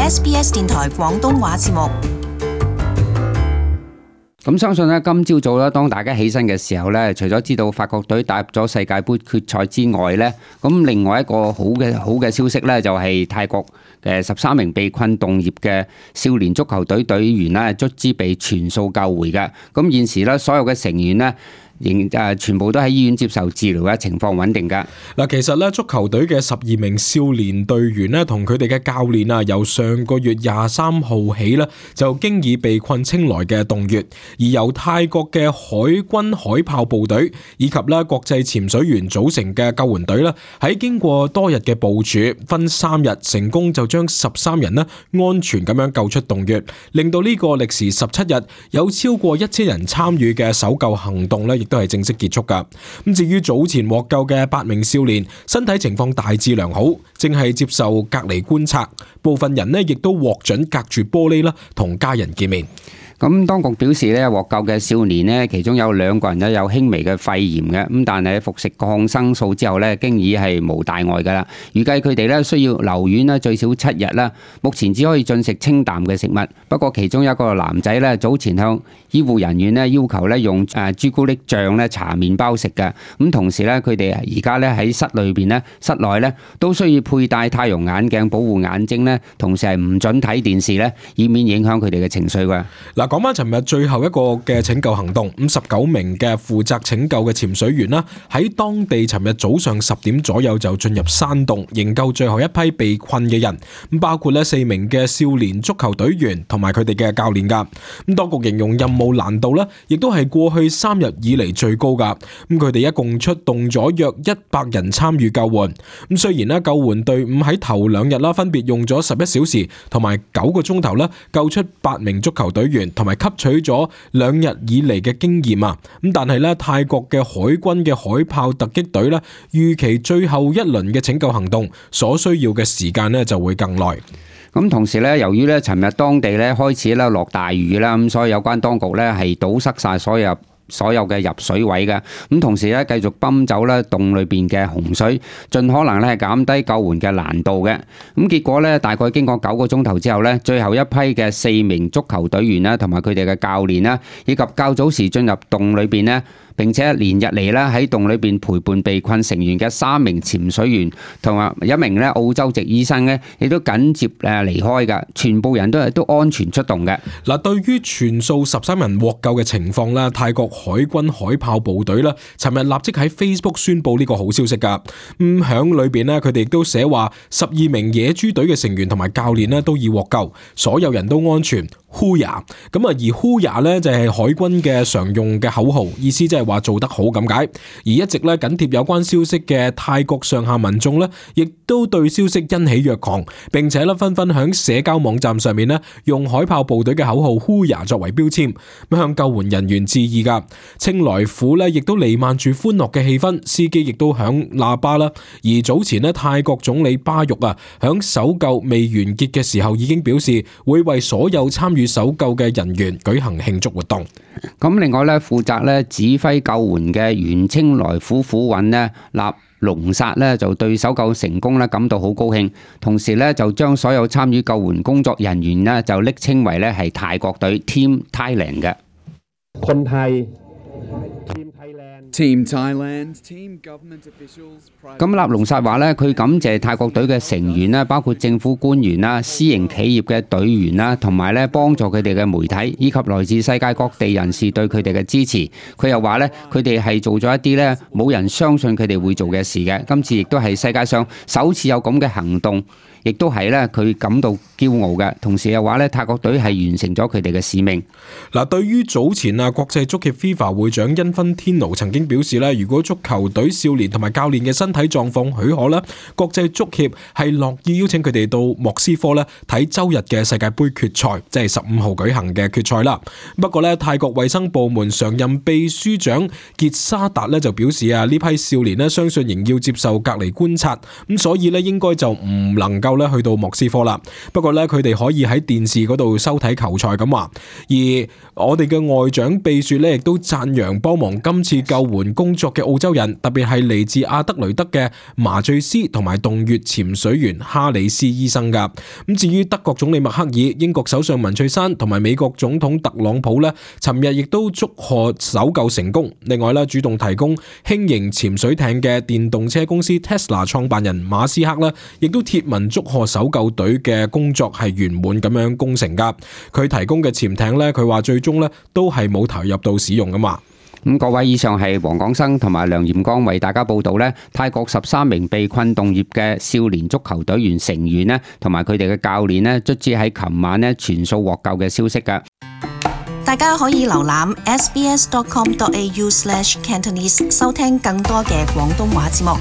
SBS 電台廣東話節目。咁相信咧，今朝早咧，當大家起身嘅時候咧，除咗知道法國隊打入咗世界盃決賽之外咧，咁另外一個好嘅消息咧，就係泰國嘅13名被困洞穴嘅少年足球隊隊員咧，卒之被全數救回嘅。咁現時咧，所有嘅成員咧，全部都喺醫院接受治療嘅，情況穩定㗎。嗱，其實咧，足球隊嘅12名少年隊員咧，同佢哋嘅教練啊，由上個月23號起咧，就經已被困清萊嘅洞穴，而由泰國嘅海軍海豹部隊以及咧國際潛水員組成嘅救援隊咧，喺經過多日嘅部署，分3日成功就將13人咧安全咁樣救出洞穴，令到呢個歷時17日有超過1000人參與嘅搜救行動咧，都係正式結束噶。咁至於早前獲救嘅8名少年，身體情況大致良好，正係接受隔離觀察。部分人呢亦都獲准隔住玻璃啦，同家人見面。咁當局表示咧，獲救嘅少年呢，其中有2個人咧有輕微嘅肺炎嘅，咁但係服食抗生素之後咧，經已係無大礙噶啦。預計佢哋咧需要留院咧最少7日啦。目前只可以進食清淡嘅食物。不過其中一個男仔咧早前向醫護人員咧要求咧用朱古力醬咧搽麵包食嘅。咁同時咧，佢哋而家咧喺室內咧都需要佩戴太陽眼鏡保護眼睛咧，同時係唔准睇電視咧，以免影響佢哋嘅情緒㗎。講翻尋日最後一個嘅拯救行動，19名嘅負責拯救嘅潛水員啦，喺當地尋日早上10點左右就進入山洞營救最後一批被困嘅人，咁包括咧4名嘅少年足球隊員同埋佢哋嘅教練噶。咁當局形容任務難度咧，亦都係過去3日以嚟最高噶。咁佢哋一共出動咗約100人參與救援。咁雖然咧救援隊伍喺頭2日啦，分別用咗11小時同埋9個鐘頭啦，救出8名足球隊員。同埋吸取咗2日以嚟嘅經驗啊，咁但係咧泰國嘅海軍嘅海豹突擊隊咧，預期最後一輪嘅拯救行動所需要嘅時間咧就會更耐。咁同時咧，由於咧尋日當地咧開始咧落大雨啦，咁所以有關當局咧係堵塞晒所有嘅入水位嘅，咁同時咧繼續泵走咧洞裏邊嘅洪水，盡可能咧係減低救援嘅難度嘅。咁結果咧大概經過9個鐘頭之後咧，最後一批嘅4名足球隊員啦，同埋佢哋嘅教練啦，以及較早時進入洞裏邊咧，並且連日嚟咧喺洞裏邊陪伴被困成員嘅3名潛水員同埋1名咧澳洲籍醫生咧，亦都緊接離開㗎，全部人都安全出洞嘅。嗱，對於全數13人獲救嘅情況啦，泰國海軍海豹部隊啦，尋日立即喺 Facebook 宣布呢個好消息㗎。響裏邊咧，佢哋亦都寫話12名野豬隊嘅成員同埋教練咧都已獲救，所有人都安全。Huya 咁啊，而 Huya 咧就係海軍嘅常用嘅口號，意思即係話做得好咁解。而一直咧緊貼有關消息嘅泰國上下民眾咧，亦都對消息欣喜若狂，並且咧紛紛響社交網站上面咧用海豹部隊嘅口號 Huya 作為標籤，咁向救援人員致意噶。清萊府咧亦都瀰漫住歡樂嘅氣氛，司機亦都響喇叭啦。而早前咧泰國總理巴育啊，響搜救未完結嘅時候已經表示會為所有參與搜救嘅人員舉行慶祝活動。咁另外咧，負責咧指揮救援嘅原清萊府府尹咧納龍薩咧就對搜救成功咧感到好高興，同時咧就將所有參與救援工作人員咧就昵稱為咧係泰國隊 Team Thailand 嘅。คนไทย Team Thailand, Team Government Officials。咁納龍薩話咧，佢感謝泰國隊嘅成員啦，包括政府官員啦、私營企業嘅隊員啦，同埋咧幫助佢哋嘅媒體，以及來自世界各地人士對佢哋嘅支持。佢又話咧，佢哋係做咗一啲咧冇人相信佢哋會做嘅事嘅。今次亦都係世界上首次有咁嘅行動。亦都係咧，佢感到驕傲嘅。同時又話咧，泰國隊係完成咗佢哋嘅使命。嗱，對於早前啊，國際足協 FIFA 會長因芬天奴曾經表示咧，如果足球隊少年同埋教練嘅身體狀況許可咧，國際足協係樂意邀請佢哋到莫斯科咧睇周日嘅世界盃決賽，即係15號舉行嘅決賽啦。不過咧，泰國衛生部門常任秘書長傑沙達咧就表示啊，呢批少年咧相信仍要接受隔離觀察，咁所以咧應該就唔能夠咧去到莫斯科啦。不過咧佢哋可以喺電視嗰度收睇球賽咁話。而我哋嘅外長秘書咧亦都讚揚幫忙今次救援工作嘅澳洲人，特別係嚟自阿德雷德嘅麻醉師同埋洞穴潛水員哈里斯醫生噶。咁至於德國總理默克爾、英國首相文翠珊同埋美國總統特朗普咧，尋日亦都祝賀搜救成功。另外咧，主動提供輕型潛水艇嘅電動車公司 Tesla 創辦人馬斯克咧，亦都貼文祝賀搜救隊嘅工作係圓滿咁樣攻成噶。佢提供嘅潛艇咧，佢話最終咧都係冇投入到使用噶嘛。咁各位，以上係黃廣生同埋梁炎光為大家報道咧，泰國13名被困洞穴嘅少年足球隊員成員咧，同埋佢哋嘅教練咧，卒之喺琴晚咧全數獲救嘅消息噶。大家可以瀏覽 sbs.com.au/cantonese 收聽更多嘅廣東話節目。